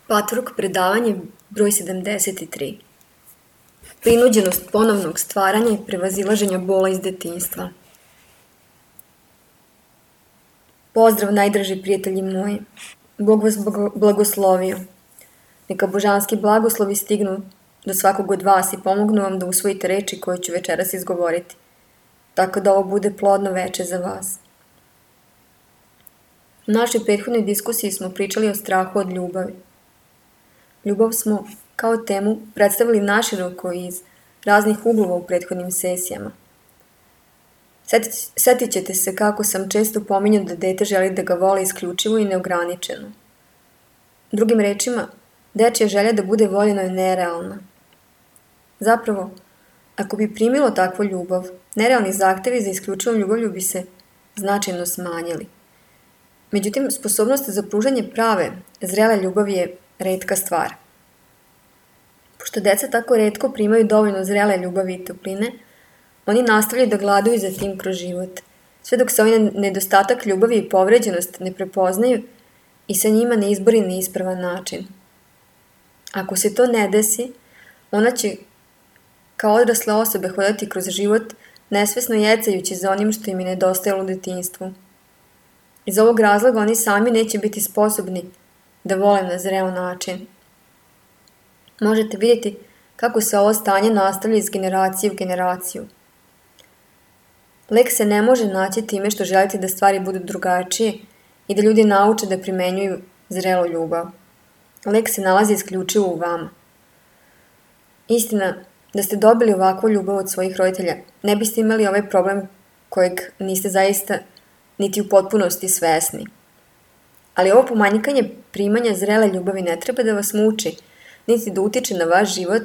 Patvork predavanje broj 73. Prinuđenost ponovnog stvaranja i prevazilaženja bola iz detinjstva. Pozdrav, najdraži prijatelji moji. Bog vas blagoslovio. Neka božanski blagoslovi stignu do svakog od vas i pomognu vam da usvojite reči koje ću večeras izgovoriti, tako da ovo bude plodno veče za vas. U našoj prethodnoj diskusiji smo pričali o strahu od ljubavi. Ljubav smo kao temu predstavili naširoko iz raznih uglova u prethodnim sesijama. Setit ćete se kako sam često pominjao da dete želi da ga voli isključivo i neograničeno. Drugim rečima, dečija želja da bude voljeno je nerealna. Zapravo, ako bi primilo takvu ljubav, nerealni zahtevi za isključivom ljubavlju bi se značajno smanjili. Međutim, sposobnost za pružanje prave, zrele ljubavi je retka stvar. Pošto deca tako retko primaju dovoljno zrele ljubavi i topline, oni nastavljaju da gladuju za tim kroz život, sve dok se ovaj nedostatak ljubavi i povređenost ne prepoznaju i sa njima ne izbori na ispravan način. Ako se to ne desi, ona će kao odrasle osobe hodati kroz život, nesvesno jecajući za onim što im je nedostajalo u detinjstvu. Iz ovog razloga oni sami neće biti sposobni da vole na zreo način. Možete vidjeti kako se ovo stanje nastavlja iz generacije u generaciju. Lek se ne može naći time što želite da stvari budu drugačije i da ljudi nauče da primenjuju zrelu ljubav. Lek se nalazi isključivo u vama. Istina, da ste dobili ovakvu ljubav od svojih roditelja, ne biste imali ovaj problem kojeg niste zaista niti u potpunosti svesni. Ali ovo pomanjkanje primanja zrele ljubavi ne treba da vas muči, niti da utiče na vaš život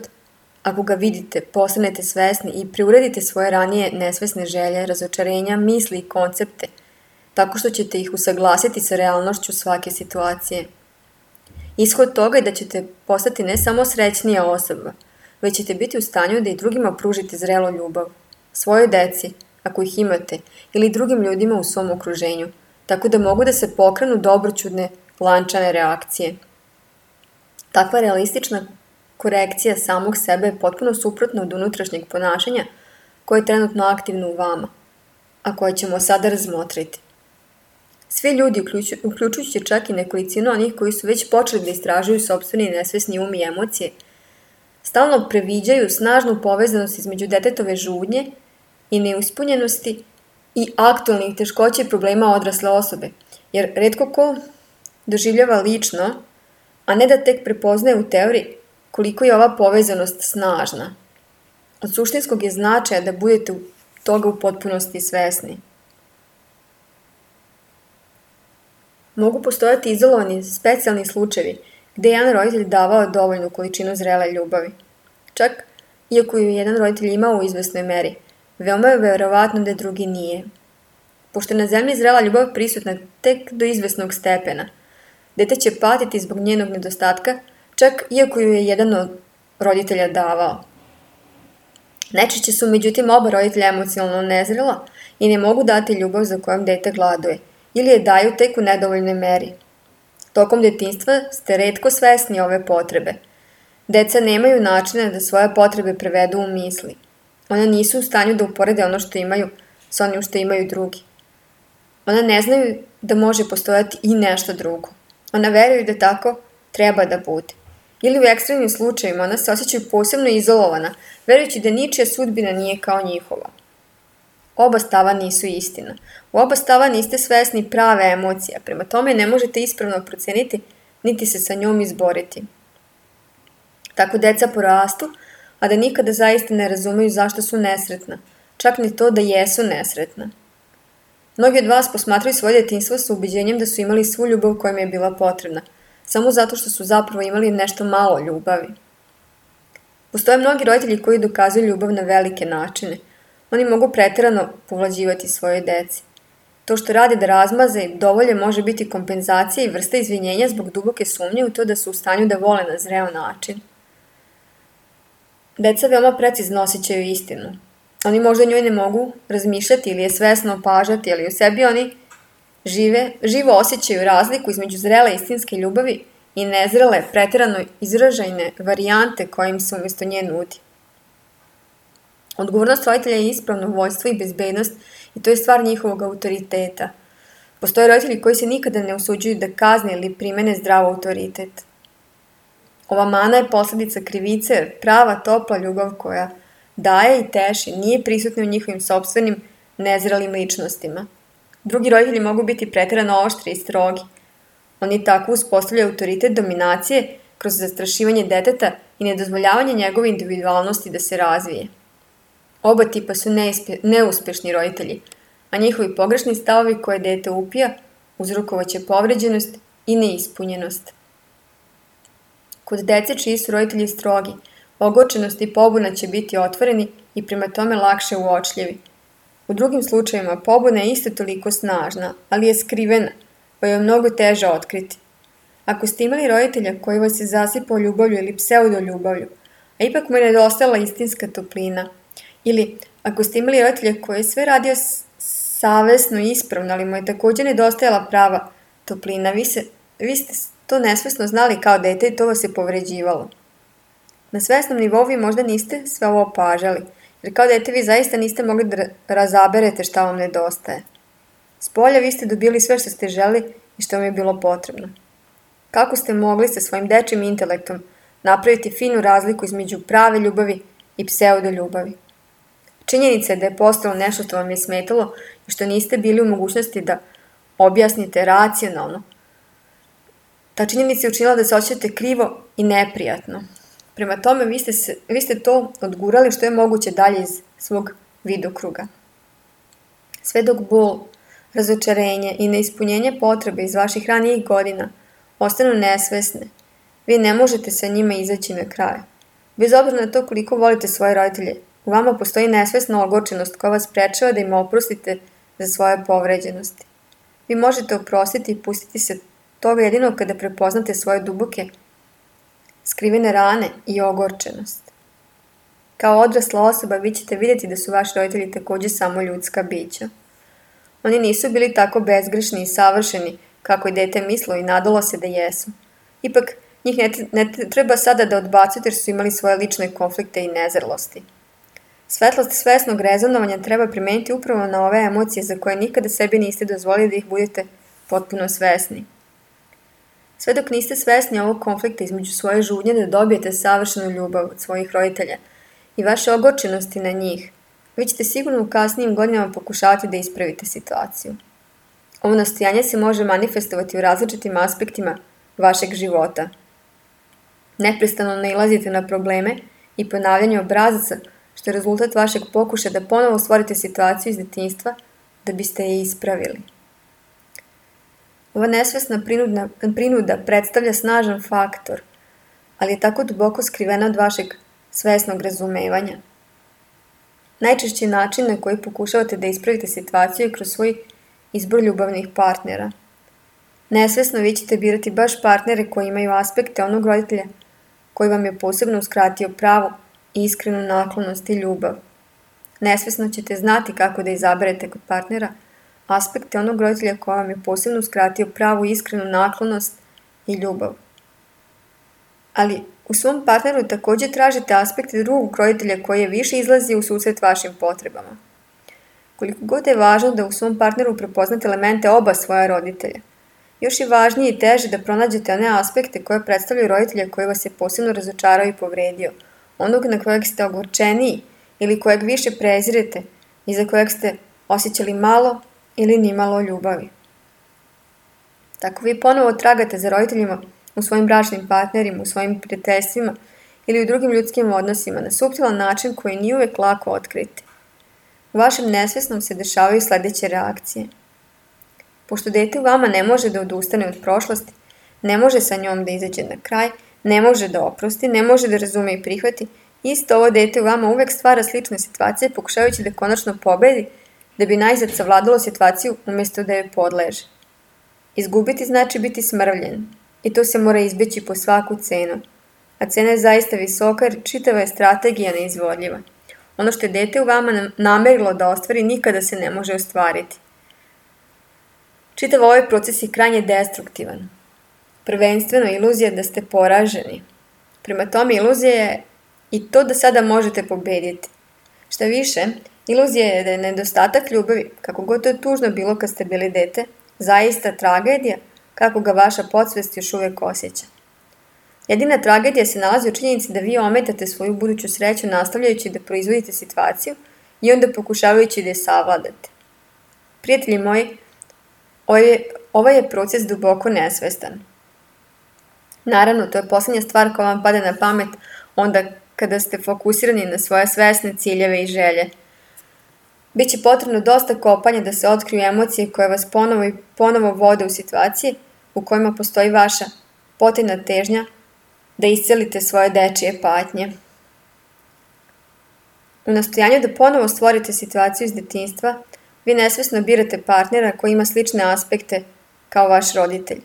ako ga vidite, postanete svesni i preuredite svoje ranije nesvesne želje, razočarenja, misli i koncepte, tako što ćete ih usaglasiti sa realnošću svake situacije. Ishod toga je da ćete postati ne samo srećnija osoba, već ćete biti u stanju da i drugima pružite zrelu ljubav, svojoj deci, ako ih imate, ili drugim ljudima u svom okruženju, tako da mogu da se pokrenu dobroćudne, lančane reakcije. Takva realistična korekcija samog sebe je potpuno suprotna od unutrašnjeg ponašanja koje je trenutno aktivno u vama, a koje ćemo sada razmotriti. Svi ljudi, uključujući čak i nekolicinu onih koji su već počeli da istražuju sopstveni nesvesni um i emocije, stalno previđaju snažnu povezanost između detetove žudnje i neuspunjenosti i aktualnih teškoća i problema odrasle osobe, jer retko ko doživljava lično, a ne da tek prepoznaje u teoriji koliko je ova povezanost snažna. Od suštinskog je značaja da budete toga u potpunosti svesni. Mogu postojati izolovani specijalni slučajevi gde je jedan roditelj davao dovoljnu količinu zrele ljubavi. Čak, iako ju jedan roditelj imao u izvesnoj meri, veoma je verovatno da drugi nije. Pošto je na zemlji zrela ljubav prisutna tek do izvesnog stepena, dete će patiti zbog njenog nedostatka, čak iako ju je jedan od roditelja davao. Najčešće su međutim oba roditelja emocionalno nezrela i ne mogu dati ljubav za kojom dete gladuje, ili je daju tek u nedovoljnoj meri. Tokom detinjstva ste retko svesni ove potrebe. Deca nemaju načina da svoje potrebe prevedu u misli. Ona nisu u stanju da uporede ono što imaju s onim što imaju drugi. Ona ne znaju da može postojati i nešto drugo. Ona veruju da tako treba da bude. Ili u ekstremnim slučajevima ona se osjećaju posebno izolovana, verujući da ničija sudbina nije kao njihova. Oba stava nisu istina. U oba stava niste svesni prave emocije, prema tome ne možete ispravno proceniti, niti se sa njom izboriti. Tako deca porastu, a da nikada zaista ne razumeju zašto su nesretna, čak ni to da jesu nesretna. Mnogi od vas posmatraju svoje detinjstvo sa ubeđenjem da su imali svu ljubav koja im je bila potrebna, samo zato što su zapravo imali nešto malo ljubavi. Postoje mnogi roditelji koji dokazuju ljubav na velike načine. Oni mogu preterano povlađivati svoje deci. To što rade da razmaze i dovolje može biti kompenzacija i vrsta izvinjenja zbog duboke sumnje u to da su u stanju da vole na zreo način. Deca veoma precizno osjećaju istinu. Oni možda njoj ne mogu razmišljati ili je svesno opažati, ali u sebi oni živo osjećaju razliku između zrele istinske ljubavi i nezrele, preterano izražajne varijante koje im se umjesto nje nudi. Odgovornost roditelja je ispravno vođstvo i bezbednost i to je stvar njihovog autoriteta. Postoje roditelji koji se nikada ne usuđuju da kazne ili primene zdrav autoritet. Ova mana je posljedica krivice, jer prava topla ljubav koja daje i teši nije prisutna u njihovim sopstvenim nezrelim ličnostima. Drugi roditelji mogu biti preterano oštri i strogi. Oni tako uspostavljaju autoritet dominacije kroz zastrašivanje deteta i nedozvoljavanje njegove individualnosti da se razvije. Oba tipa su neuspješni roditelji, a njihovi pogrešni stavovi koje dete upija uzrokovaće povređenost i neispunjenost. Kod dece čiji su roditelji strogi, ogorčenost i pobuna će biti otvoreni i prema tome lakše uočljivi. U drugim slučajevima pobuna je isto toliko snažna, ali je skrivena, pa je mnogo teže otkriti. Ako ste imali roditelja koji vas je zasipao ljubavlju ili pseudoljubavlju, a ipak mu je nedostajala istinska toplina, ili ako ste imali roditelja koji je sve radio savesno i ispravno, ali mu je također nedostajala prava toplina, vi ste to nesvesno znali kao dete i to vas je povređivalo. Na svesnom nivou vi možda niste sve ovo opažali, jer kao dete vi zaista niste mogli da razaberete šta vam nedostaje. Spolja vi ste dobili sve što ste želi i što vam je bilo potrebno. Kako ste mogli sa svojim dečjim intelektom napraviti finu razliku između prave ljubavi i pseudoljubavi? Činjenica je da je postalo nešto što vam je smetalo i što niste bili u mogućnosti da objasnite racionalno. Ta činjenica je učinila da se osjećate krivo i neprijatno. Prema tome, vi ste to odgurali što je moguće dalje iz svog vidokruga. Sve dok bol, razočarenje i neispunjenje potrebe iz vaših ranijih godina ostanu nesvesne, vi ne možete sa njima izaći na kraj. Bez obzira na to koliko volite svoje roditelje, u vama postoji nesvesna ogorčenost koja vas sprečava da im oprostite za svoje povređenosti. Vi možete oprostiti i pustiti se toga jedino kada prepoznate svoje duboke, skrivene rane i ogorčenost. Kao odrasla osoba vi ćete vidjeti da su vaši roditelji također samo ljudska bića. Oni nisu bili tako bezgrešni i savršeni kako je dete mislilo i nadalo se da jesu. Ipak, njih ne treba sada da odbacujete jer su imali svoje lične konflikte i nezrlosti. Svetlost svesnog rezonovanja treba primeniti upravo na ove emocije za koje nikada sebi niste dozvolili da ih budete potpuno svesni. Sve dok niste svesni ovog konflikta između svoje žudnje da dobijete savršenu ljubav od svojih roditelja i vaše ogorčenosti na njih, vi ćete sigurno u kasnijim godinama pokušavati da ispravite situaciju. Ovo nastojanje se može manifestovati u različitim aspektima vašeg života. Neprestano nailazite na probleme i ponavljanje obrazaca, što je rezultat vašeg pokušaja da ponovo stvorite situaciju iz detinjstva da biste je ispravili. Ova nesvesna prinuda predstavlja snažan faktor, ali je tako duboko skrivena od vašeg svesnog razumevanja. Najčešći način na koji pokušavate da ispravite situaciju je kroz svoj izbor ljubavnih partnera. Nesvesno vi ćete birati baš partnere koji imaju aspekte onog roditelja koji vam je posebno uskratio pravu i iskrenu naklonost i ljubav. Nesvesno ćete znati kako da izaberete kod partnera aspekte onog roditelja koji vam je posebno uskratio pravu i iskrenu naklonost i ljubav. Ali u svom partneru također tražite aspekte drugog roditelja koji je više izlazi u susret vašim potrebama. Koliko god je važno da u svom partneru prepoznate elemente oba svoja roditelja, još je važnije i teže da pronađete one aspekte koje predstavljaju roditelja koji vas je posebno razočarao i povredio, onog na kojeg ste ogorčeniji ili kojeg više prezirete i za kojeg ste osjećali malo ili nimalo ljubavi. Tako vi ponovo tragate za roditeljima u svojim bračnim partnerima, u svojim prijateljstvima ili u drugim ljudskim odnosima na suptilan način koji nije uvijek lako otkriti. U vašem nesvesnom se dešavaju sljedeće reakcije. Pošto dete u vama ne može da odustane od prošlosti, ne može sa njom da izađe na kraj, ne može da oprosti, ne može da razume i prihvati, isto ovo dete u vama uvijek stvara slične situacije pokušavajući da konačno pobedi, da bi najzad savladalo situaciju umjesto da joj podleže. Izgubiti znači biti smrvljen i to se mora izbjeći po svaku cenu, a cena je zaista visoka jer čitava je strategija neizvodljiva. Ono što je dete u vama namerilo da ostvari nikada se ne može ostvariti. Čitav ovaj proces je krajnje destruktivan. prvenstveno iluzija da ste poraženi. Prema tome, iluzija je i to da sada možete pobediti. Šta više, iluzija je da je nedostatak ljubavi, kako god to je tužno bilo kad ste bili dete, zaista tragedija, kako ga vaša podsvest još uvijek osjeća. Jedina tragedija se nalazi u činjenici da vi ometate svoju buduću sreću nastavljajući da proizvodite situaciju i onda pokušavajući da je savladate. Prijatelji moji, ovaj je proces duboko nesvestan. Naravno, to je posljednja stvar koja vam pada na pamet onda kada ste fokusirani na svoje svesne ciljeve i želje. Biće potrebno dosta kopanja da se otkriju emocije koje vas ponovo vode u situacije u kojima postoji vaša potajna težnja da iscelite svoje dečije patnje. U nastojanju da ponovo stvorite situaciju iz detinjstva, vi nesvesno birate partnera koji ima slične aspekte kao vaš roditelj.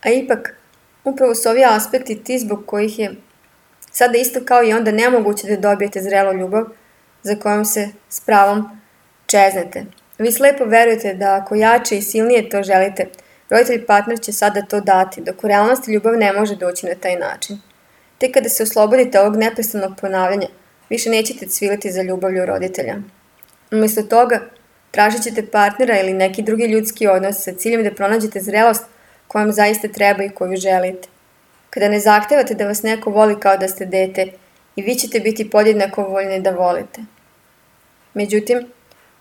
A ipak, upravo su ovi aspekti ti zbog kojih je sada isto kao i onda nemoguće da dobijete zrelu ljubav za kojom se s pravom čeznete. Vi slepo verujete da ako jače i silnije to želite, roditelj partner će sada to dati, dok u realnosti ljubav ne može doći na taj način. Tek kada se oslobodite ovog neprestanog ponavljanja, više nećete cviliti za ljubavlju roditelja. Umjesto toga, tražit ćete partnera ili neki drugi ljudski odnos sa ciljem da pronađete zrelost koja vam zaista treba i koju želite. Kada ne zahtevate da vas neko voli kao da ste dete, i vi ćete biti podjednako voljni da volite. Međutim,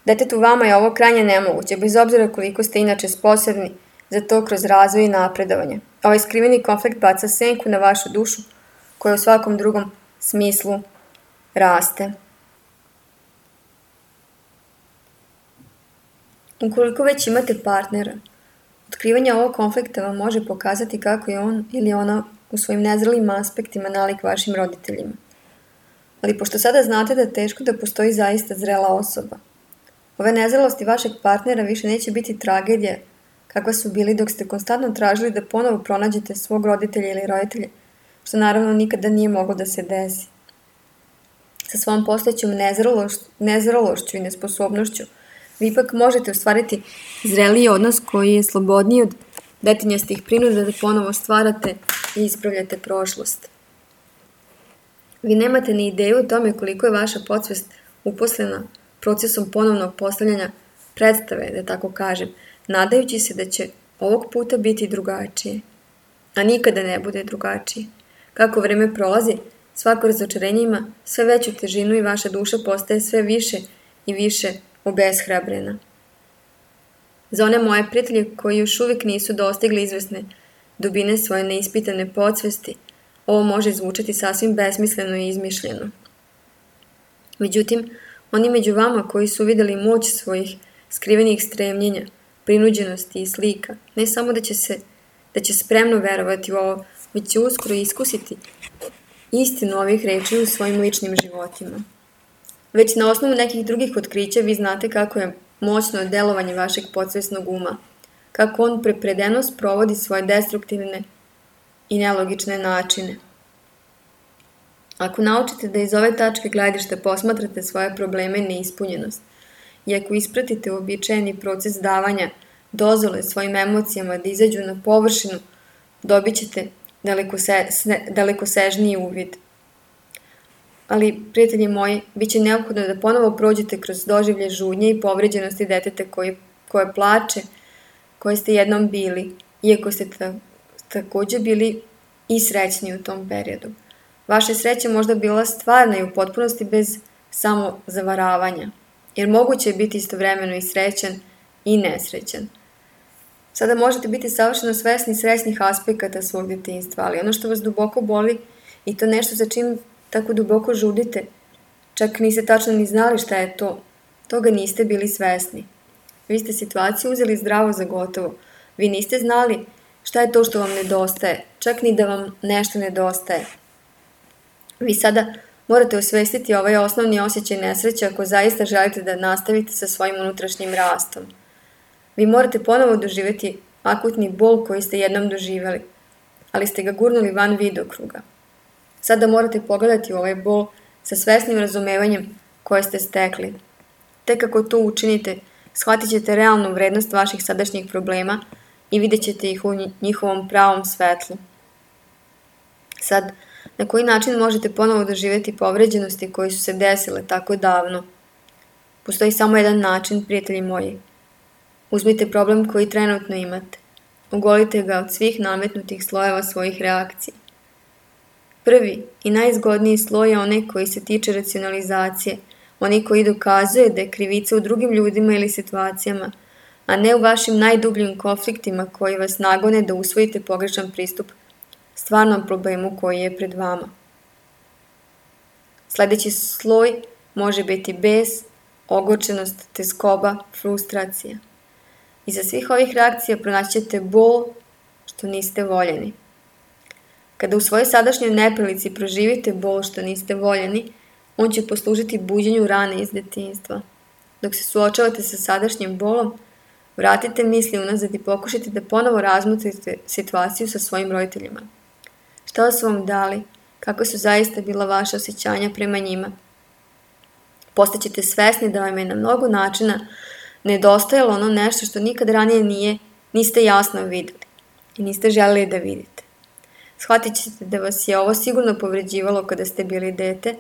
detetu vama je ovo krajnje nemoguće, bez obzira koliko ste inače sposobni za to kroz razvoj i napredovanje. Ovaj skriveni konflikt baca senku na vašu dušu, koja u svakom drugom smislu raste. Ukoliko već imate partnera, otkrivanje ovog konflikta vam može pokazati kako je on ili ona u svojim nezrelim aspektima nalik vašim roditeljima. Ali pošto sada znate da je teško da postoji zaista zrela osoba, ove nezrelosti vašeg partnera više neće biti tragedija kakva su bili dok ste konstantno tražili da ponovo pronađete svog roditelja ili roditelje, što naravno nikada nije moglo da se desi. Sa svom postojećom nezrelošću i nesposobnošću, vi ipak možete ostvariti zreliji odnos koji je slobodniji od detinjastih prinuda da ponovo stvarate i ispravljate prošlost. Vi nemate ni ideju o tome koliko je vaša podsvest uposlena procesom ponovnog postavljanja predstave, da tako kažem, nadajući se da će ovog puta biti drugačije. A nikada ne bude drugačije. Kako vreme prolazi, svako razočarenje ima sve veću težinu i vaša duša postaje sve više i više obeshrabrena. Za one moje prijatelje koji još uvijek nisu dostigli izvesne dubine svoje neispitane podsvesti, ovo može zvučati sasvim besmisleno i izmišljeno. Međutim, oni među vama koji su vidjeli moć svojih skrivenih stremljenja, prinuđenosti i slika, ne samo da će spremno verovati u ovo, već će uskoro iskusiti istinu ovih reči u svojim ličnim životima. Već na osnovu nekih drugih otkrića vi znate kako je moćno delovanje vašeg podsvesnog uma, kako on prepredeno sprovodi svoje destruktivne i nelogične načine. Ako naučite da iz ove tačke gledišta posmatrate svoje probleme i neispunjenost, i ako ispratite uobičajeni proces davanja dozvole svojim emocijama da izađu na površinu, dobit ćete dalekosežniji uvid. Ali, prijatelji moji, bit će neophodno da ponovo prođete kroz doživlje žudnje i povređenosti deteta koje plače, koje ste jednom bili, iako ste također bili i srećni u tom periodu. Vaša sreća možda bila stvarna i u potpunosti bez samozavaravanja, jer moguće je biti istovremeno i srećan i nesrećan. Sada možete biti savršeno svesni srećnih aspekata svog detinjstva, ali ono što vas duboko boli i to nešto za čim tako duboko žudite, čak niste tačno ni znali šta je to, toga niste bili svesni. Vi ste situaciju uzeli zdravo za gotovo, vi niste znali šta je to što vam nedostaje, čak ni da vam nešto nedostaje. Vi sada morate osvestiti ovaj osnovni osjećaj nesreće ako zaista želite da nastavite sa svojim unutrašnjim rastom. Vi morate ponovo doživjeti akutni bol koji ste jednom doživjeli, ali ste ga gurnuli van vidokruga. Sada morate pogledati u ovaj bol sa svesnim razumevanjem koje ste stekli. Tek ako to učinite, shvatit ćete realnu vrednost vaših sadašnjih problema i vidjet ćete ih u njihovom pravom svetlu. Sad, na koji način možete ponovo doživjeti povređenosti koje su se desile tako davno? Postoji samo jedan način, prijatelji moji. Uzmite problem koji trenutno imate. Ogolite ga od svih nametnutih slojeva svojih reakcija. Prvi i najzgodniji sloj je onaj koji se tiče racionalizacije, onaj koji dokazuje da je krivica u drugim ljudima ili situacijama, a ne u vašim najdubljim konfliktima koji vas nagone da usvojite pogrešan pristup stvarnom problemu koji je pred vama. Sledeći sloj može biti bes, ogorčenost, tezgoba, frustracija. Iza svih ovih reakcija pronaći ćete bol što niste voljeni. Kada u svojoj sadašnjoj neprilici proživite bol što niste voljeni, on će poslužiti buđenju rane iz detinjstva. Dok se suočavate sa sadašnjim bolom, vratite misli unazad i pokušajte da ponovo razmotrite situaciju sa svojim roditeljima. Šta su vam dali? Kako su zaista bila vaša osjećanja prema njima? Postaćete svesni da vam je na mnogo načina nedostajalo ono nešto što nikad ranije niste jasno videli i niste želeli da vidite. Shvatit ćete da vas je ovo sigurno povređivalo kada ste bili dete,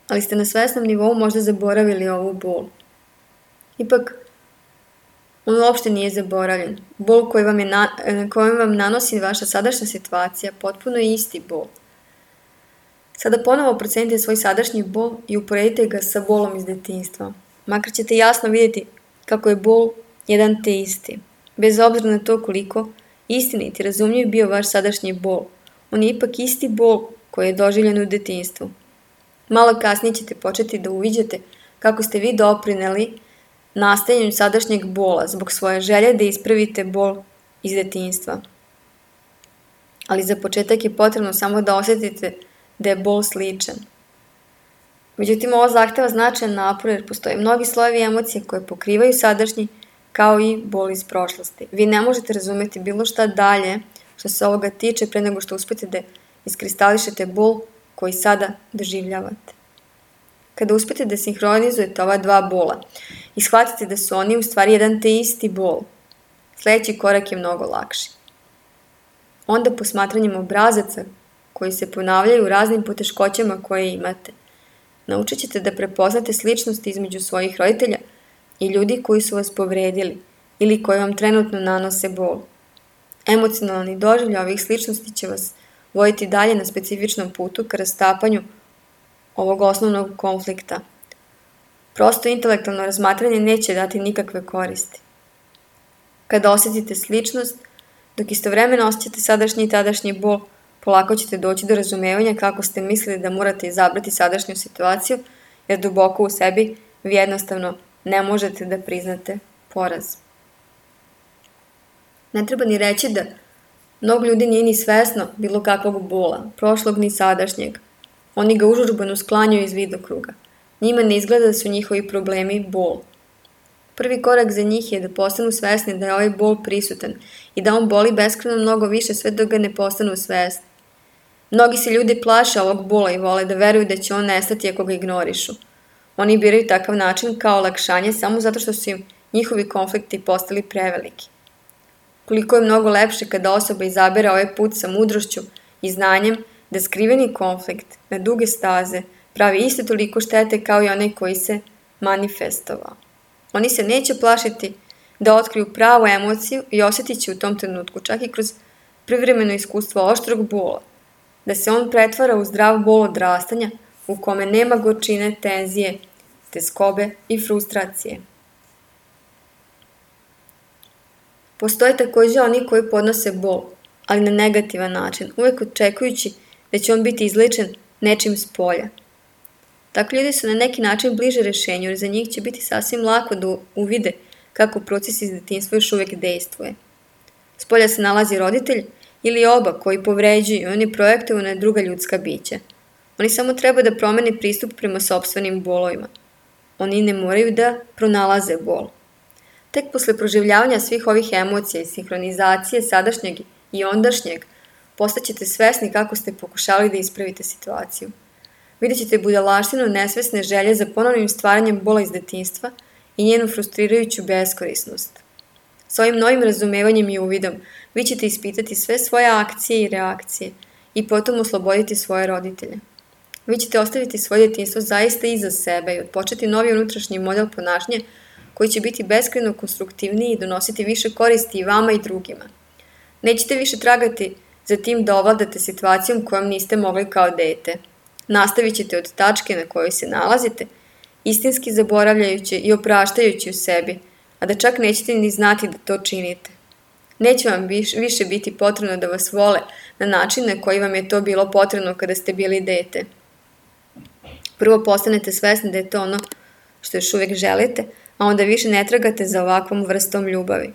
ali ste na svesnom nivou možda zaboravili ovu bol. Ipak, on uopšte nije zaboravljen. Bol koji vam nanosi vaša sadašnja situacija potpuno je isti bol. Sada ponovo procenite svoj sadašnji bol i uporedite ga sa bolom iz detinjstva. Makar ćete jasno vidjeti kako je bol jedan te isti. Bez obzira na to koliko istinit i razumljiv bio vaš sadašnji bol, on je ipak isti bol koji je doživljen u detinjstvu. Malo kasnije ćete početi da uviđate kako ste vi doprineli nastajanju sadašnjeg bola zbog svoje želje da ispravite bol iz detinjstva. Ali za početak je potrebno samo da osjetite da je bol sličan. Međutim, ovo zahteva značajan napor jer postoje mnogi slojevi emocije koje pokrivaju sadašnji kao i bol iz prošlosti. Vi ne možete razumeti bilo šta dalje što se ovoga tiče pre nego što uspete da iskristališete bol koji sada doživljavate. Kada uspete da sinhronizujete ova dva bola i shvatite da su oni u stvari jedan te isti bol, sledeći korak je mnogo lakši. Onda posmatranjem obrazaca koji se ponavljaju u raznim poteškoćama koje imate, naučit ćete da prepoznate sličnosti između svojih roditelja i ljudi koji su vas povredili ili koji vam trenutno nanose bol. Emocionalni doživljaj ovih sličnosti će vas voditi dalje na specifičnom putu ka rastapanju ovog osnovnog konflikta. Prosto intelektualno razmatranje neće dati nikakve koristi. Kada osjetite sličnost, dok istovremeno osjećate sadašnji i tadašnji bol, polako ćete doći do razumevanja kako ste mislili da morate izabrati sadašnju situaciju, jer duboko u sebi vi jednostavno ne možete da priznate poraz. Ne treba ni reći da mnogo ljudi nije ni svesno bilo kakvog bola, prošlog ni sadašnjeg. Oni ga užurbano sklanjaju iz vidokruga. Njima ne izgleda da su njihovi problemi bol. Prvi korak za njih je da postanu svesni da je ovaj bol prisutan i da on boli beskrajno mnogo više sve dok ga ne postanu svesni. Mnogi se ljudi plaše ovog bola i vole da veruju da će on nestati ako ga ignorišu. Oni biraju takav način kao olakšanje samo zato što su im njihovi konflikti postali preveliki. Koliko je mnogo lepše kada osoba izabere ovaj put sa mudrošću i znanjem da skriveni konflikt na duge staze pravi isto toliko štete kao i onaj koji se manifestovao. Oni se neće plašiti da otkriju pravu emociju i osjetit će u tom trenutku, čak i kroz privremeno iskustvo oštrog bola, da se on pretvara u zdrav bol odrastanja u kome nema gorčine, tenzije, tezgobe i frustracije. Postoje takođe oni koji podnose bol, ali na negativan način, uvek očekujući da će on biti izlečen nečim s polja. Takvi ljudi su na neki način bliže rešenju, jer za njih će biti sasvim lako da uvide kako proces iz detinjstva još uvek dejstvuje. S polja se nalazi roditelj ili oba koji povređuju i oni projektuju na druga ljudska bića. Oni samo treba da promene pristup prema sopstvenim bolovima. Oni ne moraju da pronalaze bol. Tek posle proživljavanja svih ovih emocija i sinhronizacije sadašnjeg i ondašnjeg, postaćete svesni kako ste pokušali da ispravite situaciju. Vidjet ćete budalaštinu nesvesne želje za ponovnim stvaranjem bola iz detinjstva i njenu frustrirajuću beskorisnost. S ovim novim razumevanjem i uvidom vi ćete ispitati sve svoje akcije i reakcije i potom osloboditi svoje roditelje. Vi ćete ostaviti svoje djetinjstvo zaista iza sebe i odpočeti novi unutrašnji model ponašanja koji će biti beskrajno konstruktivniji i donositi više koristi i vama i drugima. Nećete više tragati za tim da ovladate situacijom kojom niste mogli kao dete. Nastavit ćete od tačke na kojoj se nalazite, istinski zaboravljajući i opraštajući u sebi, a da čak nećete ni znati da to činite. Neće vam više biti potrebno da vas vole na način na koji vam je to bilo potrebno kada ste bili dete. Prvo postanete svesni da je to ono što još uvijek želite, a onda više ne tragate za ovakvom vrstom ljubavi.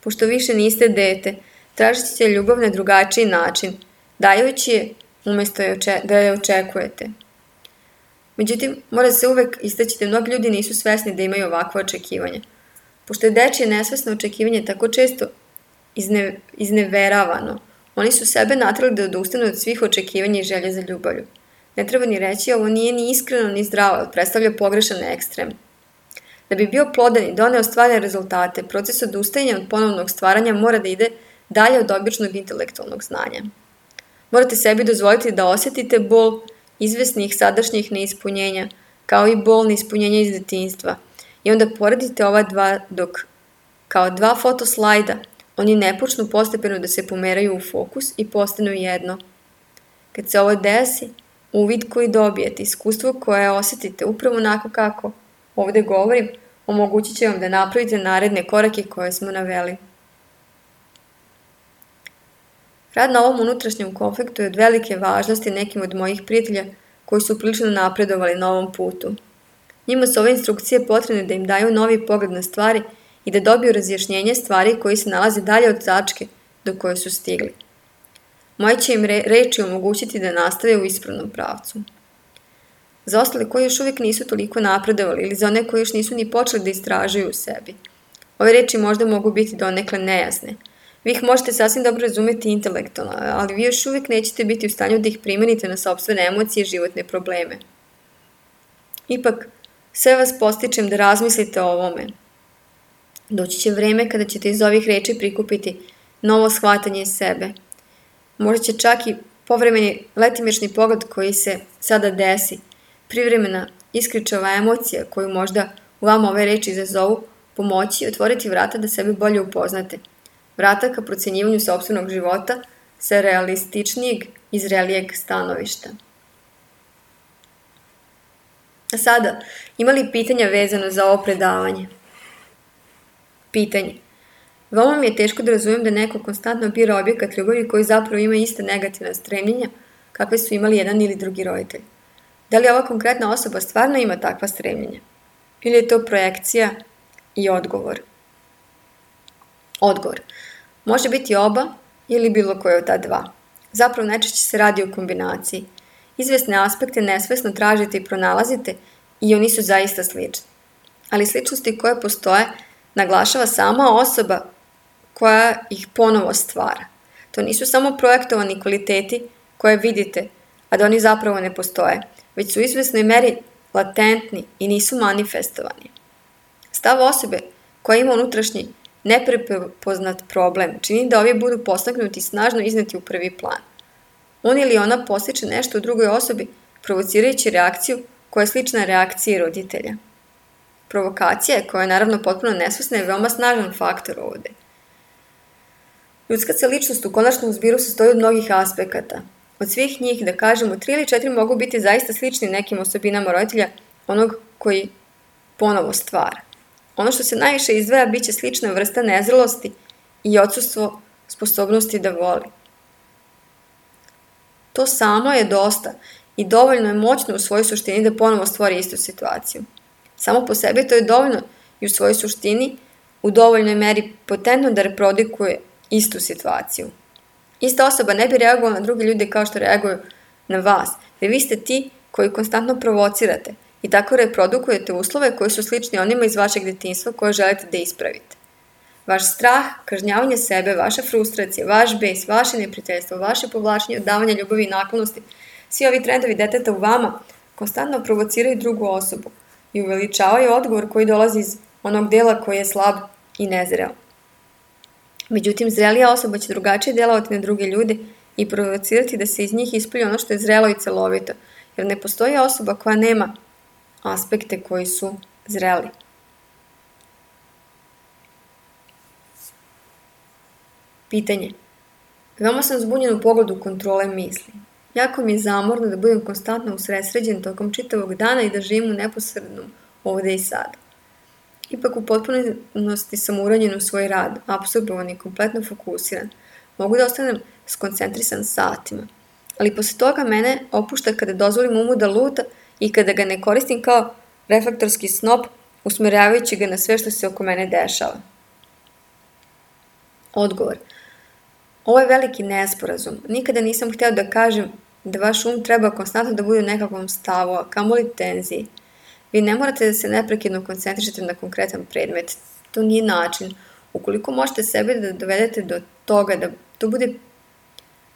Pošto više niste dete, tražit ćete ljubav na drugačiji način, dajući je umjesto da je očekujete. Međutim, mora se uvek istaći da mnogi ljudi nisu svesni da imaju ovakve očekivanja. Pošto je dečije nesvesno očekivanje tako često izneveravano, oni su sebe natrali da odustanu od svih očekivanja i želje za ljubavlju. Ne treba ni reći, ovo nije ni iskreno ni zdravo, jer predstavlja pogrešan ekstrem. Da bi bio plodan i doneo stvarne rezultate, proces odustajanja od ponovnog stvaranja mora da ide dalje od običnog intelektualnog znanja. Morate sebi dozvoliti da osjetite bol izvesnih sadašnjih neispunjenja, kao i bol neispunjenja iz detinjstva. I onda poredite ova dva dok, kao dva fotoslajda, oni ne počnu postepeno da se pomeraju u fokus i postanu jedno. Kad se ovo desi, uvid koji dobijete, iskustvo koje osjetite upravo onako kako ovdje govorim, omogućit će vam da napravite naredne korake koje smo naveli. Rad na ovom unutrašnjem konfliktu je od velike važnosti nekim od mojih prijatelja koji su prilično napredovali na ovom putu. Njima su ove instrukcije potrebne da im daju novi pogled na stvari i da dobiju razjašnjenje stvari koji se nalaze dalje od tačke do koje su stigli. Moje će im reči omogućiti da nastave u ispravnom pravcu. Za ostale koji još uvijek nisu toliko napredovali ili za one koji još nisu ni počeli da istražuju u sebi, ove reči možda mogu biti donekle nejasne. Vi ih možete sasvim dobro razumjeti intelektualno, ali vi još uvijek nećete biti u stanju da ih primenite na sopstvene emocije i životne probleme. Ipak, sve vas postičem da razmislite o ovome. Doći će vreme kada ćete iz ovih reči prikupiti novo shvatanje sebe. Možda će čak i povremeni letimični pogled koji se sada desi, privremena iskričava emocija koju možda u vama ove reči izazovu, pomoći i otvoriti vrata da sebe bolje upoznate. Vrata ka procjenjivanju sopstvenog života sa realističnijeg i zrelijeg stanovišta. A sada, ima li pitanja vezano za ovo predavanje? Pitanje. Veoma mi je teško da razumijem da neko konstantno bira objekat ljubavi koji zapravo ima iste negativne stremljenja kakve su imali jedan ili drugi roditelj. Da li ova konkretna osoba stvarno ima takva stremljenja? Ili je to projekcija i odgovor? Odgovor. Može biti oba ili bilo koje od ta dva. Zapravo najčešće se radi o kombinaciji. Izvesne aspekte nesvesno tražite i pronalazite i oni su zaista slični. Ali sličnosti koje postoje naglašava sama osoba koja ih ponovo stvara. To nisu samo projektovani kvaliteti koje vidite, a da oni zapravo ne postoje, već su u izvesnoj meri latentni i nisu manifestovani. Stav osobe koja ima unutrašnji neprepoznat problem čini da ovi budu postaknuti i snažno izneti u prvi plan. On ili ona postiče nešto u drugoj osobi, provocirajući reakciju koja je slična reakciji roditelja. Provokacija, koja je naravno potpuno nesvesna, je veoma snažan faktor ovdje. Ljudska se ličnost u konačnom zbiru sastoji od mnogih aspekata. Od svih njih, da kažemo, 3 ili 4 mogu biti zaista slični nekim osobinama roditelja, onog koji ponovo stvara. Ono što se najviše izdvaja bit će slična vrsta nezrelosti i odsustvo sposobnosti da voli. To samo je dosta i dovoljno je moćno u svojoj suštini da ponovo stvori istu situaciju. Samo po sebi to je dovoljno i u svojoj suštini u dovoljnoj meri potentno da reprodukuje istu situaciju. Ista osoba ne bi reagovala na druge ljude kao što reaguju na vas, jer vi ste ti koji konstantno provocirate i tako reprodukujete uslove koji su slični onima iz vašeg detinjstva koje želite da ispravite. Vaš strah, kažnjavanje sebe, vaša frustracija, vaš bes, vaše neprijateljstvo, vaše povlačenje, odavanje ljubavi i naklonosti, svi ovi trendovi deteta u vama konstantno provociraju drugu osobu i uveličavaju odgovor koji dolazi iz onog dela koji je slab i nezreo. Međutim, zrelija osoba će drugačije delovati na druge ljude i provocirati da se iz njih ispolji ono što je zrelo i celovito, jer ne postoji osoba koja nema aspekte koji su zreli. Pitanje. Veoma sam zbunjen u pogledu kontrole misli. Jako mi je zamorno da budem konstantno usredsređen tokom čitavog dana i da živim u neposrednom ovde i sada. Ipak u potpunosti sam uranjen u svoj rad, apsorbovan i kompletno fokusiran. Mogu da ostanem skoncentrisan satima. Ali posle toga mene opušta kada dozvolim umu da luta i kada ga ne koristim kao reflektorski snop, usmeravajući ga na sve što se oko mene dešava. Odgovor. Ovo je veliki nesporazum. Nikada nisam hteo da kažem da vaš treba konstantno da bude u nekakvom stavu, a kamoli tenziji. Vi ne morate da se neprekidno koncentrišete na konkretan predmet. To nije način. Ukoliko možete sebe da dovedete do toga da to bude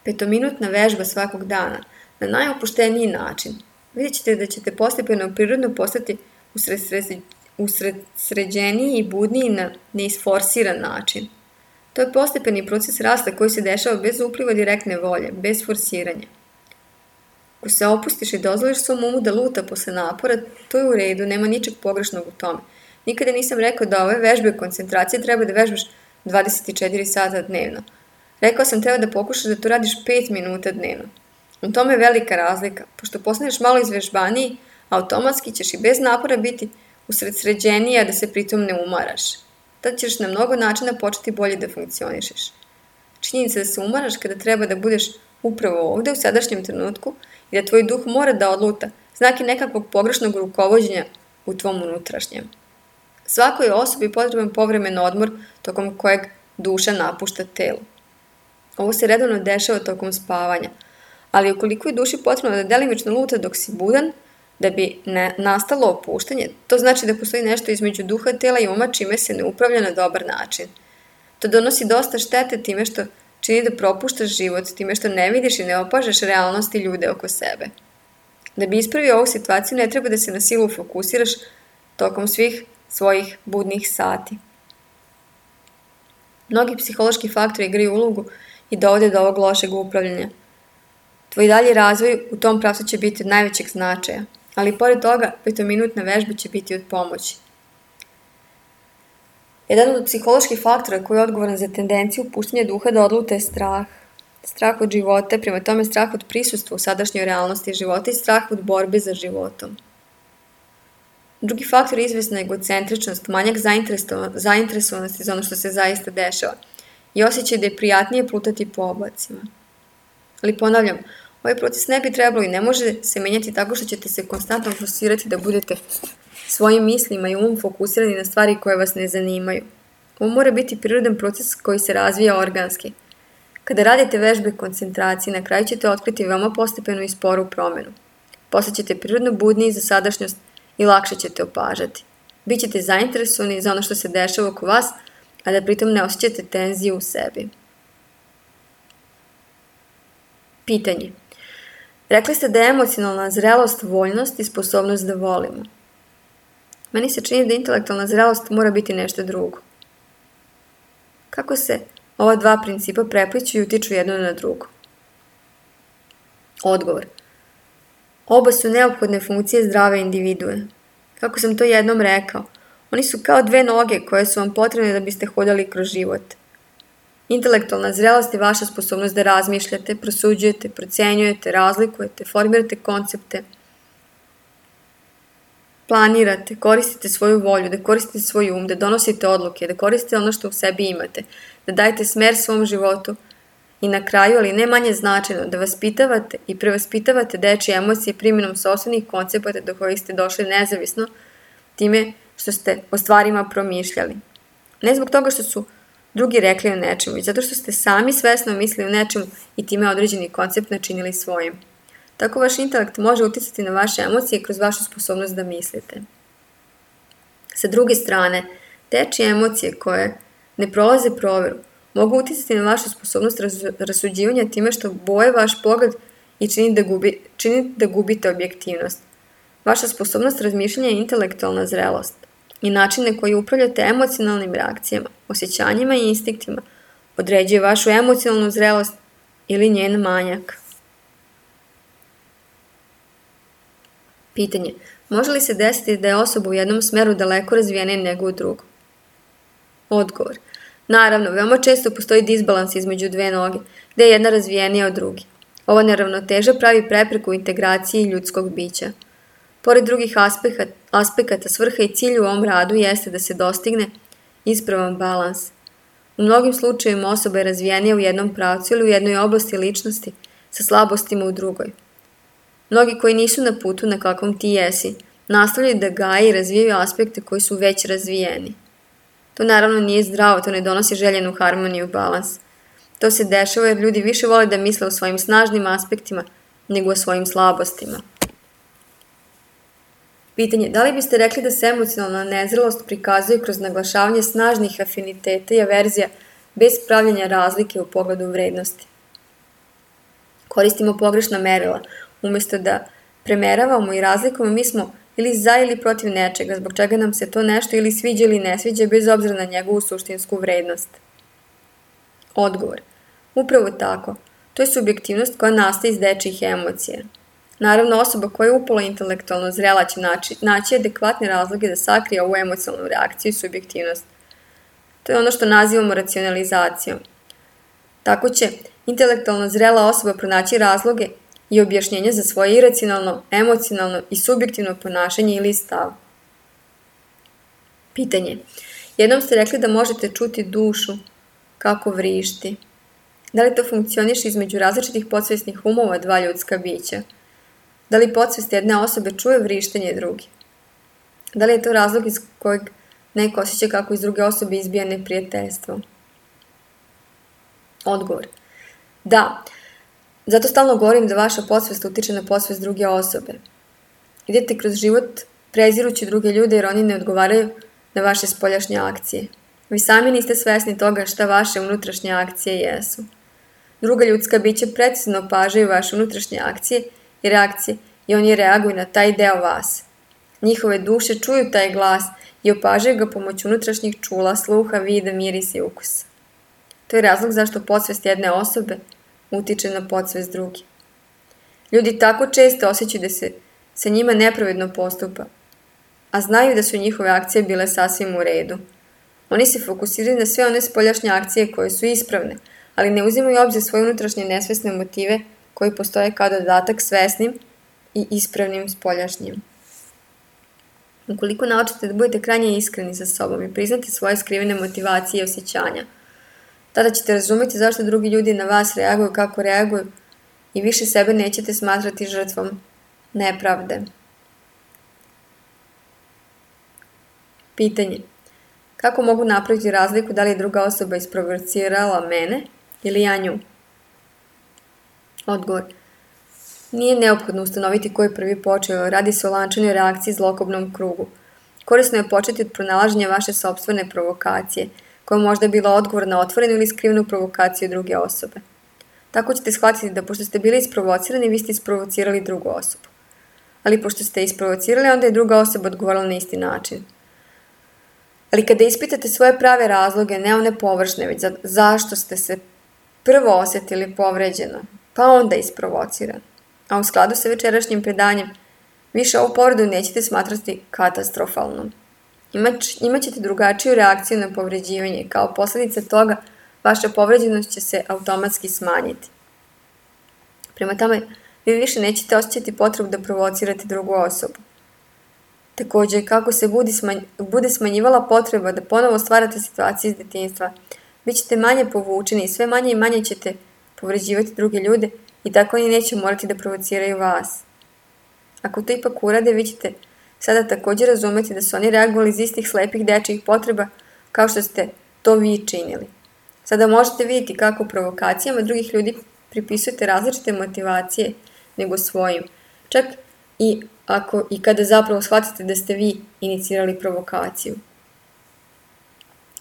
5-minutna vežba svakog dana, na najopušteniji način, vidjet ćete da ćete postepeno prirodno postati usredsređeniji i budniji na neisforsiran način. To je postepeni proces rasta koji se dešava bez upliva direktne volje, bez forsiranja. Ako se opustiš i dozvoliš svom umu da luta posle napora, to je u redu, nema ničeg pogrešnog u tome. Nikada nisam rekao da ove vežbe koncentracije treba da vežbaš 24 sata dnevno. Rekao sam treba da pokušaš da to radiš 5 minuta dnevno. U tome je velika razlika. Pošto postaneš malo izvežbaniji, automatski ćeš i bez napora biti usredsređeniji, a da se pritom ne umaraš. Tad ćeš na mnogo načina početi bolje da funkcionišeš. Činjenica da se umaraš kada treba da budeš upravo ovde u sadašnjem trenutku i da tvoj duh mora da odluta, znak je nekakvog pogrešnog rukovođenja u tvom unutrašnjem. Svakoj osobi potreban povremen odmor tokom kojeg duša napušta telo. Ovo se redovno dešava tokom spavanja, ali ukoliko je duši potrebno da delimično luta dok si budan, da bi nastalo opuštanje, to znači da postoji nešto između duha, tela i uma čime se ne upravlja na dobar način. To donosi dosta štete time što čini da propuštaš život, time što ne vidiš i ne opažaš realnost i ljude oko sebe. Da bi ispravio ovu situaciju ne treba da se na silu fokusiraš tokom svih svojih budnih sati. Mnogi psihološki faktori igraju ulogu i dovode do ovog lošeg upravljanja. Tvoj dalji razvoj u tom pravcu će biti od najvećeg značaja, ali pored toga 5-minutna vežba će biti od pomoći. Jedan od psiholoških faktora koji je odgovoran za tendenciju puštanja duha da odluta je strah. Strah od života, prema tome strah od prisustva u sadašnjoj realnosti života i strah od borbe za životom. Drugi faktor je izvesna egocentričnost, manjak zainteresovanosti za ono što se zaista dešava i osjećaj da je prijatnije plutati po oblacima. Ali ponavljam, ovaj proces ne bi trebalo i ne može se menjati tako što ćete se konstantno forsirati da budete svojim mislima i umom fokusirani na stvari koje vas ne zanimaju. Ovo mora biti prirodan proces koji se razvija organski. Kada radite vežbe koncentracije, na kraju ćete otkriti veoma postepenu i sporu promenu. Postaćete prirodno budniji za sadašnjost i lakše ćete opažati. Bićete zainteresovani za ono što se dešava oko vas, a da pritom ne osjećate tenziju u sebi. Pitanje. Rekli ste da je emocionalna zrelost voljnost i sposobnost da volimo. Meni se čini da intelektualna zrelost mora biti nešto drugo. Kako se ova dva principa prepliću i utiču jedno na drugo? Odgovor. Oba su neophodne funkcije zdrave individue. Kako sam to jednom rekao, oni su kao dve noge koje su vam potrebne da biste hodali kroz život. Intelektualna zrelost je vaša sposobnost da razmišljate, prosuđujete, procenjujete, razlikujete, formirate koncepte, planirate, koristite svoju volju, da koristite svoj um, da donosite odluke, da koristite ono što u sebi imate, da dajete smer svom životu i na kraju, ali ne manje značajno, da vaspitavate i prevaspitavate dečije emocije primjenom sopstvenih koncepata do kojih ste došli nezavisno time što ste o stvarima promišljali. Ne zbog toga što su drugi rekli o nečemu, već zato što ste sami svesno mislili o nečemu i time određeni koncept načinili svojim. Tako vaš intelekt može uticati na vaše emocije kroz vašu sposobnost da mislite. Sa druge strane, dečije emocije koje ne prolaze proveru mogu uticati na vašu sposobnost rasuđivanja time što boje vaš pogled i čini da gubite objektivnost. Vaša sposobnost razmišljanja je intelektualna zrelost i način na koji upravljate emocionalnim reakcijama, osjećanjima i instinktima određuje vašu emocionalnu zrelost ili njen manjak. Pitanje. Može li se desiti da je osoba u jednom smeru daleko razvijenija nego u drugom? Odgovor. Naravno, veoma često postoji disbalans između dve noge, gde je jedna razvijenija od druge. Ova neravnoteža pravi prepreku integraciji ljudskog bića. Pored drugih aspekata, svrha i cilj u ovom radu jeste da se dostigne ispravan balans. U mnogim slučajevima osoba je razvijenija u jednom pravcu ili u jednoj oblasti ličnosti sa slabostima u drugoj. Mnogi koji nisu na putu na kakvom ti jesi, nastavljaju da gaje i razvijaju aspekte koji su već razvijeni. To naravno nije zdravo, to ne donosi željenu harmoniju i balans. To se dešava jer ljudi više vole da misle o svojim snažnim aspektima nego o svojim slabostima. Pitanje. Da li biste rekli da se emocionalna nezrelost prikazuje kroz naglašavanje snažnih afiniteta i averzija bez pravljenja razlike u pogledu vrednosti? Koristimo pogrešna merila. Umjesto da premeravamo i razlikujemo, mi smo ili za ili protiv nečega, zbog čega nam se to nešto ili sviđa ili ne sviđa, bez obzira na njegovu suštinsku vrednost. Odgovor. Upravo tako. To je subjektivnost koja nastaje iz dečijih emocija. Naravno, osoba koja je upolo intelektualno zrela će naći adekvatne razloge da sakrije ovu emocionalnu reakciju i subjektivnost. To je ono što nazivamo racionalizacijom. Tako će intelektualno zrela osoba pronaći razloge i objašnjenja za svoje iracionalno, emocionalno i subjektivno ponašanje ili stav. Pitanje. Jednom ste rekli da možete čuti dušu kako vrišti. Da li to funkcioniše između različitih podsvesnih umova dva ljudska bića? Da li podsvest jedne osobe čuje vrištenje druge? Da li je to razlog iz kojeg neko osjeća kako iz druge osobe izbija neprijateljstvo? Odgovor. Da. Zato stalno govorim da vaša podsvest utiče na podsvest druge osobe. Idete kroz život prezirući druge ljude jer oni ne odgovaraju na vaše spoljašnje akcije. Vi sami niste svesni toga šta vaše unutrašnje akcije jesu. Druga ljudska bića precizno opažaju vaše unutrašnje akcije i reakcije i oni reaguju na taj deo vas. Njihove duše čuju taj glas i opažaju ga pomoću unutrašnjih čula, sluha, vida, mirisa i ukusa. To je razlog zašto podsvest jedne osobe utiče na podsvest druge. Ljudi tako često osjećaju da se sa njima nepravedno postupa, a znaju da su njihove akcije bile sasvim u redu. Oni se fokusiraju na sve one spoljašnje akcije koje su ispravne, ali ne uzimaju u obzir svoje unutrašnje nesvesne motive koji postoje kao dodatak svesnim i ispravnim spoljašnjim. Ukoliko naučite da budete krajnje iskreni sa sobom i priznate svoje skrivene motivacije i osjećanja, tada ćete razumjeti zašto drugi ljudi na vas reaguju kako reaguju i više sebe nećete smatrati žrtvom nepravde. Pitanje. Kako mogu napraviti razliku da li je druga osoba isprovocirala mene ili ja nju? Odgovor. Nije neophodno ustanoviti ko je prvi počeo, radi se o lančanoj reakciji zlokobnom krugu. Korisno je početi od pronalaženja vaše sopstvene provokacije, koja možda je bila odgovor na otvorenu ili skrivenu provokaciju druge osobe. Tako ćete shvatiti da pošto ste bili isprovocirani, vi ste isprovocirali drugu osobu. Ali pošto ste isprovocirali, onda je druga osoba odgovorila na isti način. Ali kada ispitate svoje prave razloge, ne one površne, već zašto ste se prvo osjetili povređeno, pa onda isprovociran, a u skladu sa večerašnjim predanjem, više ovu povredu nećete smatrati katastrofalnom. Imaćete drugačiju reakciju na povređivanje, kao posljedica toga vaša povređenost će se automatski smanjiti. Prema tome, vi više nećete osjećati potrebu da provocirate drugu osobu. Također, kako se bude smanjivala potreba da ponovo stvarate situacije iz detinjstva, bit ćete manje povučeni i sve manje i manje ćete povređivati druge ljude i tako oni neće morati da provociraju vas. Ako to ipak urade, vi ćete sada također razumjeti da su oni reagovali iz istih slepih dečijih potreba kao što ste to vi činili. Sada možete vidjeti kako provokacijama drugih ljudi pripisujete različite motivacije nego svojim, čak i kada zapravo shvatite da ste vi inicirali provokaciju.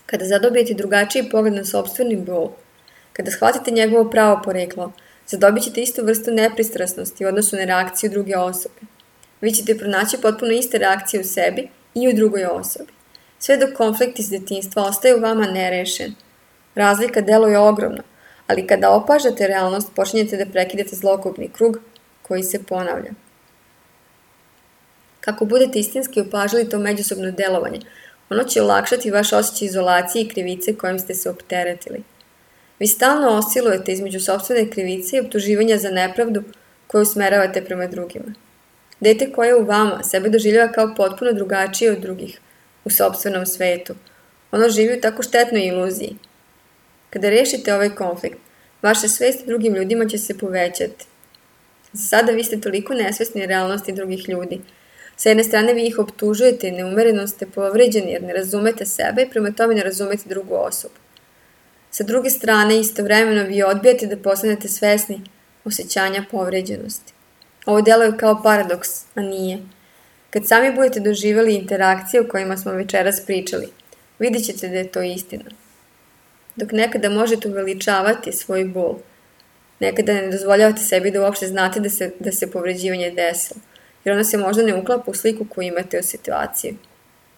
Kada zadobijete drugačiji pogled na sopstveni bol, kada shvatite njegovo pravo poreklo, zadobit ćete istu vrstu nepristrasnosti u odnosu na reakciju druge osobe. Vi ćete pronaći potpuno iste reakcije u sebi i u drugoj osobi. Sve dok konflikt iz detinjstva ostaje u vama nerešen. Razlika deluje ogromno, ali kada opažate realnost, počinjete da prekidate zlokupni krug koji se ponavlja. Kako budete istinski opažali to međusobno delovanje, ono će olakšati vaš osjećaj izolacije i krivice kojim ste se opteretili. Vi stalno oscilujete između sopstvene krivice i optuživanja za nepravdu koju usmeravate prema drugima. Dete koje je u vama sebe doživljava kao potpuno drugačije od drugih u sopstvenom svetu. Ono živi u tako štetnoj iluziji. Kada rešite ovaj konflikt, vaša svest o drugim ljudima će se povećati. Za sada vi ste toliko nesvesni realnosti drugih ljudi. Sa jedne strane vi ih optužujete i neumereno ste povređeni jer ne razumete sebe i prema tome ne razumete drugu osobu. Sa druge strane, istovremeno vi odbijate da postanete svesni osjećanja povređenosti. Ovo deluje kao paradoks, a nije. Kad sami budete doživjeli interakcije o kojima smo večeras pričali, vidjet ćete da je to istina. Dok nekada možete uveličavati svoj bol, nekada ne dozvoljavate sebi da uopšte znate da se povređivanje desilo, jer ono se možda ne uklapa u sliku koju imate u situaciji.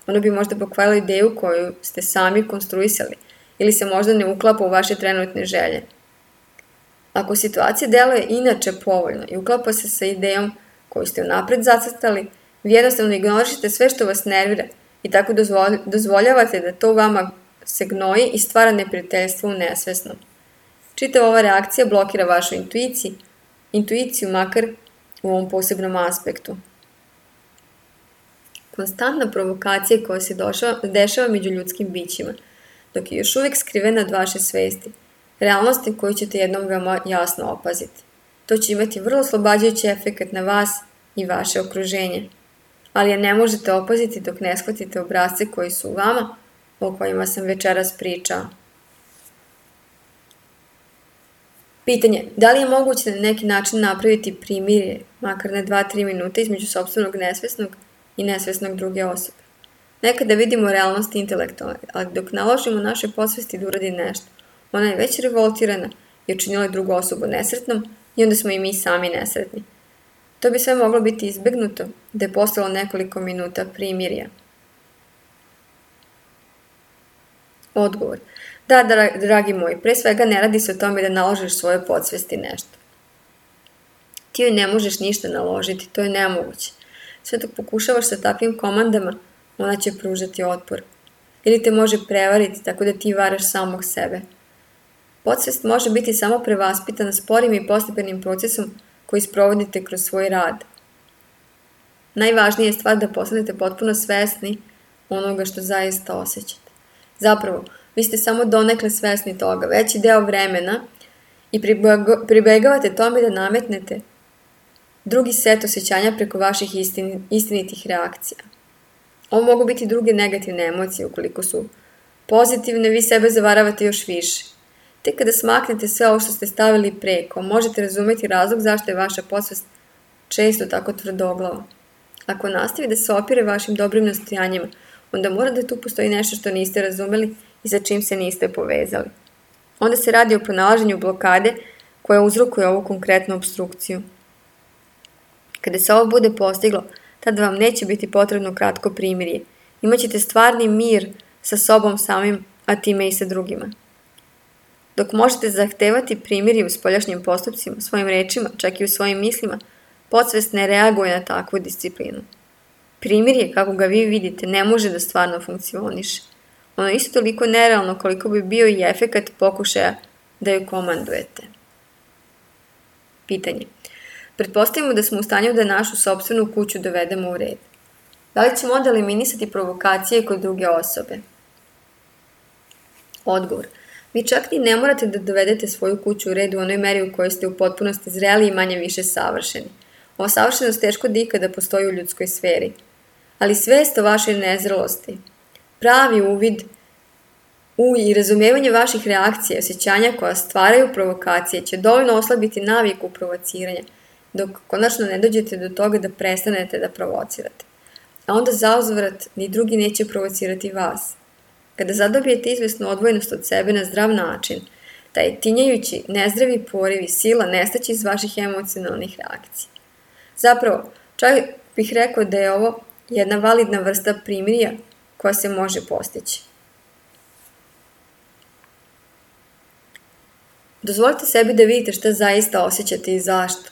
Ono bi možda pokvarilo ideju koju ste sami konstruisali, ili se možda ne uklapa u vaše trenutne želje. Ako situacija deluje inače povoljno i uklapa se sa idejom koju ste unapred zacrtali, vi jednostavno ignorišete sve što vas nervira i tako dozvoljavate da to u vama se gnoji i stvara neprijateljstvo u nesvesnom. Čitava ova reakcija blokira vašu intuiciju makar u ovom posebnom aspektu. Konstantna provokacija koja se dešava među ljudskim bićima, dok je još uvijek skrivena od vaše svesti, realnosti koju ćete jednom veoma jasno opaziti. To će imati vrlo oslobađajući efekt na vas i vaše okruženje, ali je ne možete opaziti dok ne shvatite obrasce koji su u vama, o kojima sam večeras pričao. Pitanje, da li je moguće na neki način napraviti primirje, makar na 2-3 minuta između sopstvenog nesvesnog i nesvesnog druge osobe? Nekada vidimo realnost intelektualne, ali dok naložimo našoj podsvesti da uradi nešto, ona je već revoltirana i učinila drugu osobu nesretnom i onda smo i mi sami nesretni. To bi sve moglo biti izbegnuto da je postalo nekoliko minuta primirja. Odgovor. Da, dragi moji, pre svega ne radi se o tome da naložiš svoje podsvesti nešto. Ti joj ne možeš ništa naložiti, to je nemoguće. Sve dok pokušavaš sa takvim komandama, ona će pružati otpor. Ili te može prevariti tako da ti varaš samog sebe. Podsvest može biti samo prevaspitana sporim i postepenim procesom koji sprovodite kroz svoj rad. Najvažnija je stvar da postanete potpuno svesni onoga što zaista osjećate. Zapravo, vi ste samo donekle svesni toga, veći deo vremena i pribegavate tome da nametnete drugi set osjećanja preko vaših istinitih reakcija. Ovo mogu biti druge negativne emocije, ukoliko su pozitivne, vi sebe zavaravate još više. Tek kada smaknete sve ovo što ste stavili preko, možete razumeti razlog zašto je vaša podsvest često tako tvrdoglava. Ako nastavi da se opire vašim dobrim nastojanjima, onda mora da tu postoji nešto što niste razumeli i sa čim se niste povezali. Onda se radi o pronalaženju blokade koja uzrokuje ovu konkretnu obstrukciju. Kada se ovo bude postiglo, tada vam neće biti potrebno kratko primirje. Imaćete stvarni mir sa sobom samim, a time i sa drugima. Dok možete zahtevati primirje u spoljašnjim postupcima, svojim rečima, čak i u svojim mislima, podsvest ne reaguje na takvu disciplinu. Primirje, kako ga vi vidite, ne može da stvarno funkcioniše. Ono je isto toliko nerealno koliko bi bio i efekat pokušaja da joj komandujete. Pitanje. Pretpostavimo da smo u stanju da našu sopstvenu kuću dovedemo u red. Da li ćemo onda eliminisati provokacije kod druge osobe? Odgovor. Vi čak ni ne morate da dovedete svoju kuću u red u onoj meri u kojoj ste u potpunosti zreli i manje više savršeni. Ova savršenost teško da ikada postoji u ljudskoj sferi. Ali svest o vašoj nezrelosti, pravi uvid i razumijevanje vaših reakcija i osjećanja koja stvaraju provokacije će dovoljno oslabiti naviku provociranja, dok konačno ne dođete do toga da prestanete da provocirate. A onda zauzvrat ni drugi neće provocirati vas. Kada zadobijete izvesnu odvojenost od sebe na zdrav način, taj tinjajući, nezdravi porivi sila nestaće iz vaših emocionalnih reakcija. Zapravo, čak bih rekao da je ovo jedna validna vrsta primirja koja se može postići. Dozvolite sebi da vidite šta zaista osjećate i zašto.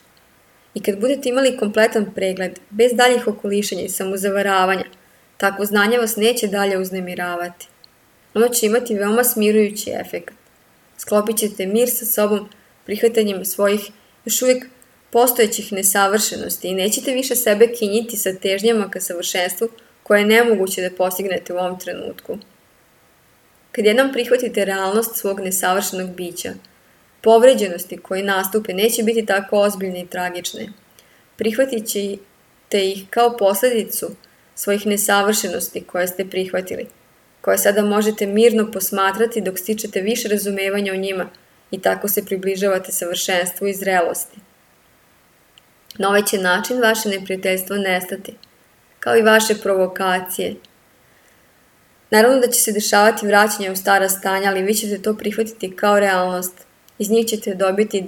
I kad budete imali kompletan pregled, bez daljih okolišanja i samozavaravanja, takvo znanje vas neće dalje uznemiravati. Ono će imati veoma smirujući efekat. Sklopit ćete mir sa sobom prihvatanjem svojih još uvijek postojećih nesavršenosti i nećete više sebe kinjiti sa težnjama ka savršenstvu koje je nemoguće da postignete u ovom trenutku. Kad jednom prihvatite realnost svog nesavršenog bića, povređenosti koje nastupe neće biti tako ozbiljne i tragične. Prihvatit ćete ih kao posledicu svojih nesavršenosti koje ste prihvatili, koje sada možete mirno posmatrati dok stičete više razumevanja o njima i tako se približavate savršenstvu i zrelosti. Na ovaj će način vaše neprijateljstvo nestati, kao i vaše provokacije. Naravno da će se dešavati vraćanje u stara stanja, ali vi ćete to prihvatiti kao realnost. Iz njih ćete dobiti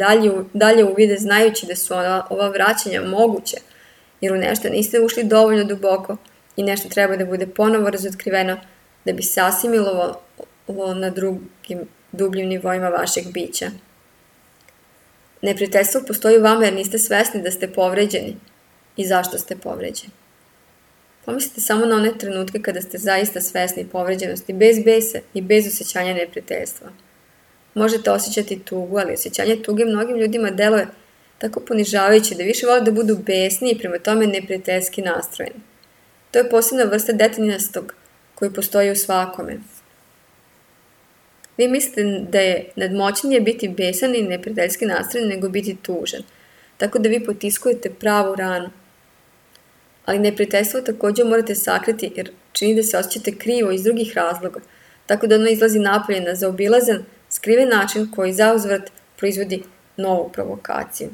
dalje uvide znajući da su ova vraćanja moguće, jer u nešto niste ušli dovoljno duboko i nešto treba da bude ponovo razotkriveno da bi se asimilovalo na drugim dubljim nivoima vašeg bića. Neprijateljstvo postoji u vama jer niste svesni da ste povređeni i zašto ste povređeni. Pomislite samo na one trenutke kada ste zaista svesni povređenosti, bez besa i bez osjećanja neprijateljstva. Možete osjećati tugu, ali osjećanje tuge mnogim ljudima deluje tako ponižavajuće da više vole da budu besni i prema tome neprijateljski nastrojeni. To je posebna vrsta detinjastog koji postoji u svakome. Vi mislite da je nadmoćnije biti besan i neprijateljski nastrojen nego biti tužan, tako da vi potiskujete pravu ranu. Ali neprijateljstvo također morate sakriti jer čini da se osjećate krivo iz drugih razloga, tako da ono izlazi napolje na zaobilazan, skriven način koji zauzvrat proizvodi novu provokaciju.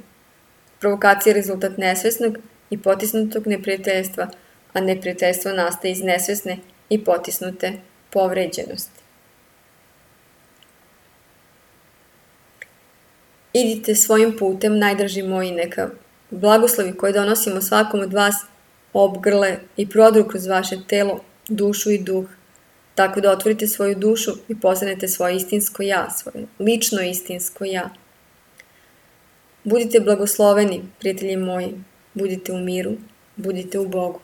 Provokacija je rezultat nesvesnog i potisnutog neprijateljstva, a neprijateljstvo nastaje iz nesvesne i potisnute povređenosti. Idite svojim putem, najdraži moji, neka blagoslovi koje donosimo svakom od vas obgrle i prodru kroz vaše telo, dušu i duh, tako da otvorite svoju dušu i postanete svoje istinsko ja, svoje lično istinsko ja. Budite blagosloveni, prijatelji moji, budite u miru, budite u Bogu.